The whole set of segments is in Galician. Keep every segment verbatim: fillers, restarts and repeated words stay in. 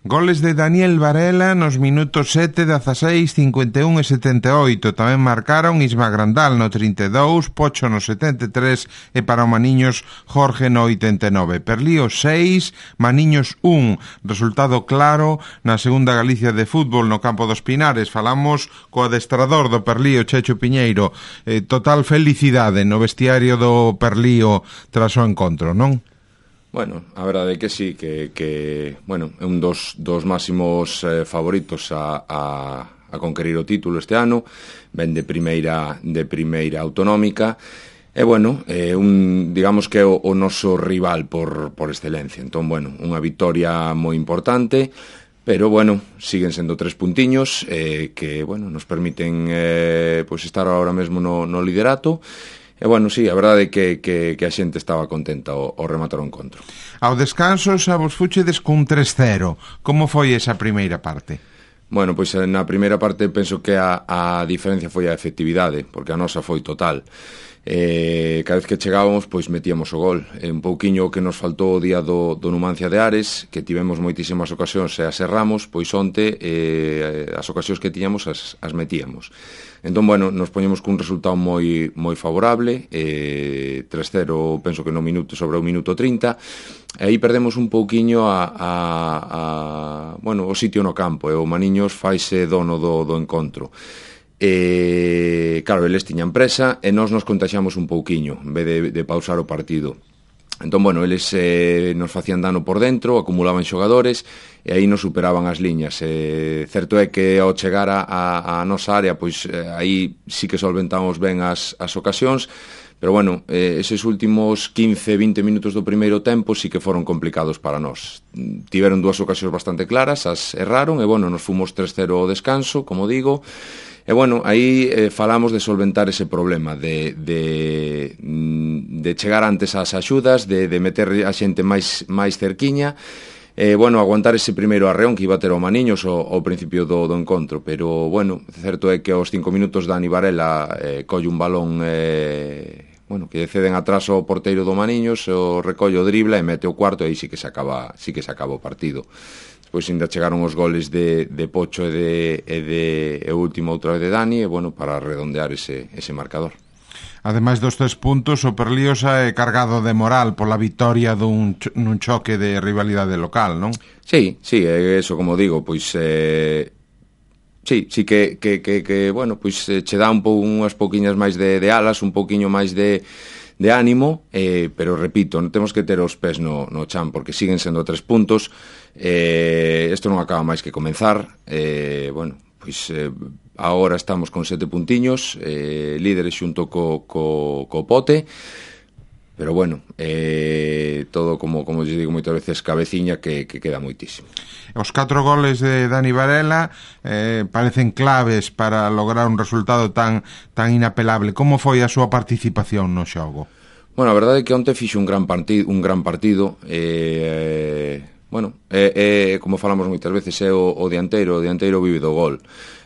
Goles de Daniel Varela nos minutos sete, dezaseis, cincuenta e un e setenta e oito. Tamén marcaron Isma Grandal no trinta e dous, Pocho no setenta e tres e para o Maniños Jorge no oitenta e nove. Perlío seis, Maniños un. Resultado claro na segunda Galicia de fútbol no campo dos Pinares. Falamos co adestrador do Perlío, Checho Piñeiro. Eh, total felicidade no vestiario do Perlío tras o encontro, non? Bueno, a verdade é que sí, que, que bueno, é un dos, dos máximos eh, favoritos a, a, a conquerir o título este ano, ven de primeira, de primeira autonómica, e bueno, eh, un, digamos que é o, o noso rival por, por excelencia. Entón, bueno, unha vitoria moi importante, pero bueno, siguen sendo tres puntiños eh, que, bueno, nos permiten eh, pues estar ahora mesmo no, no liderato. E, bueno, sí, a verdade é que, que, que a xente estaba contenta ao, ao rematar o encontro. Ao descanso xa vos fuchedes cun tres cero. Como foi esa primeira parte? Bueno, pois na primeira parte penso que a, a diferencia foi a efectividade, porque a nosa foi total. Eh, cada vez que chegábamos, pois metíamos o gol. Eh, un pouquiño que nos faltou o día do, do Numancia de Ares, que tivemos moitísimas ocasións e as erramos, pois onte eh, as ocasións que tiñamos as, as metíamos. Entón, bueno, nos poñemos cun resultado moi moi favorable, eh, tres cero, penso que no minuto, sobre o minuto trinta, e aí perdemos un pouquiño a, a, a bueno, o sitio no campo, e o Maniños faise dono do, do encontro. E, claro, eles tiñan presa e nós nos contaxamos un pouquiño, en vez de, de pausar o partido. Entón, bueno, eles eh, nos facían dano por dentro, acumulaban xogadores e aí nos superaban as liñas. Eh, certo é que ao chegar a, a, a nosa área, pois eh, aí sí que solventamos ben as, as ocasións, pero bueno, eh, eses últimos quince, vinte minutos do primeiro tempo sí que foron complicados para nós. Tiveron dúas ocasións bastante claras, as erraron e, bueno, nos fomos tres cero ao descanso, como digo. E, bueno, aí eh, falamos de solventar ese problema, de, de, de chegar antes ás axudas, de, de meter a xente máis, máis cerquiña, e, bueno, aguantar ese primeiro arreón que iba a ter o Maniños ao, ao principio do, do encontro. Pero, bueno, certo é que aos cinco minutos Dani Varela eh, colle un balón eh, bueno, que ceden atrás ao porteiro do Maniños, o recollo, dribla e mete o cuarto, e aí sí que se acaba, sí que se acaba o partido. Pois ainda chegaron os goles de, de Pocho e de, e de e o último outra vez de Dani, e, bueno, para redondear ese, ese marcador. Ademais dos tres puntos, o Perlío xa é cargado de moral pola vitoria dun, nun choque de rivalidade local, non? Sí, sí, é eso, como digo, pois eh, sí, sí que, que, que, que bueno, pois eh, che dá un pou, unhas pouquiñas máis de, de alas, un pouquiño máis de de ánimo, eh, pero repito, non temos que ter os pés no, no chan, porque siguen sendo tres puntos. Eh, isto non acaba máis que comenzar. Eh, bueno, pois eh, agora estamos con sete puntiños, eh, líderes xunto co, co, co Pote, pero bueno, eh, todo, como, como eu digo moitas veces, cabeciña que, que queda moitísimo. Os catro goles de Dani Varela eh, parecen claves para lograr un resultado tan tan inapelable. Como foi a súa participación no xogo? Bueno, a verdade é que onte fixo un gran partido, un gran partido. Eh, bueno, é, é, como falamos moitas veces, é o, o dianteiro, o dianteiro vive do gol.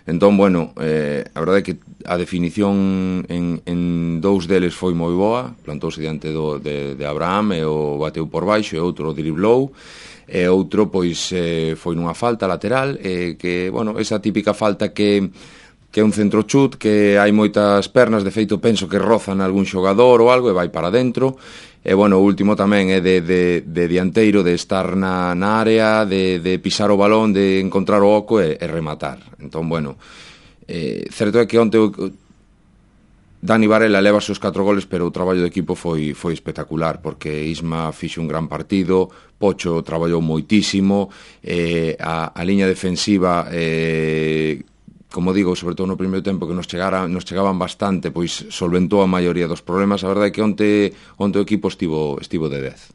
Entón, bueno, eh, a verdade é que a definición en, en dous deles foi moi boa, plantouse diante do, de, de Abraham e o bateu por baixo, e outro driblou, e outro, pois, eh, foi nunha falta lateral, eh, que, bueno, esa típica falta que, que é un centro chut, que hai moitas pernas, de feito penso que rozan algún xogador ou algo e vai para dentro. E, bueno, o último tamén é de, de, de dianteiro, de estar na, na área, de, de pisar o balón, de encontrar o oco e, e rematar. Entón, bueno, eh, certo é que onte Dani Varela leva os seus catro goles, pero o traballo do equipo foi, foi espectacular, porque Isma fixo un gran partido, Pocho traballou moitísimo, eh, a, a liña defensiva... Eh, como digo, sobre todo no primeiro tempo que nos chegara, nos chegaban bastante, pois solventou a maioría dos problemas. A verdade é que onte, onte o equipo estivo, estivo de dez.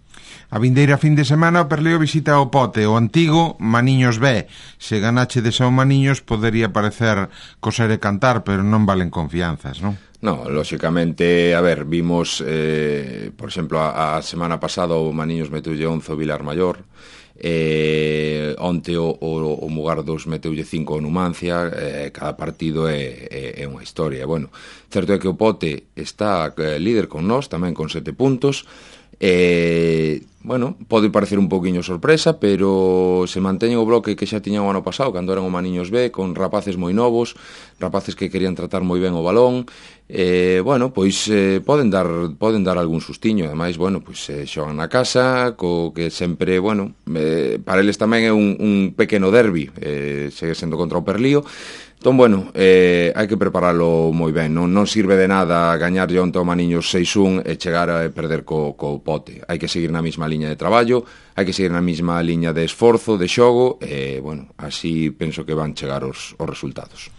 A vindeira fin de semana o Perlío visita o Pote, o antigo Maniños B. Se ganache de São Maniños podería parecer coser e cantar, pero non valen confianzas, non? No, lóxicamente, a ver, vimos, eh, por exemplo, a, a semana pasada o Maniños meteulle once o Vilar Maior, eh, onte o, o, o Mugardos meteulle cinco o Numancia, eh, cada partido é, é, é unha historia. Bueno, certo é que o Pote está eh, líder con nós, tamén con sete puntos, eh, bueno, pode parecer un pouquiño sorpresa, pero se manteñen o bloque que xa tiñan o ano pasado, cando eran o Maniños B, con rapaces moi novos, rapaces que querían tratar moi ben o balón. Eh, bueno, pois eh, poden dar poden dar algún sustiño, ademais, bueno, pois eh, xogan na casa, co que sempre, bueno, eh, para eles tamén é un, un pequeno derbi, eh, segue sendo contra o Perlío. Entón, bueno, eh, hai que preparalo moi ben, non, non sirve de nada gañar onte ao Maniños seis un e chegar a perder co, co Pote. Hai que seguir na mesma liña de traballo, hai que seguir na mesma liña de esforzo, de xogo, e, bueno, así penso que van chegar os, os resultados.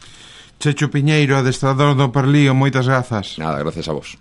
Checho Piñeiro, adestrador do Perlío, moitas grazas. Nada, gracias a vos.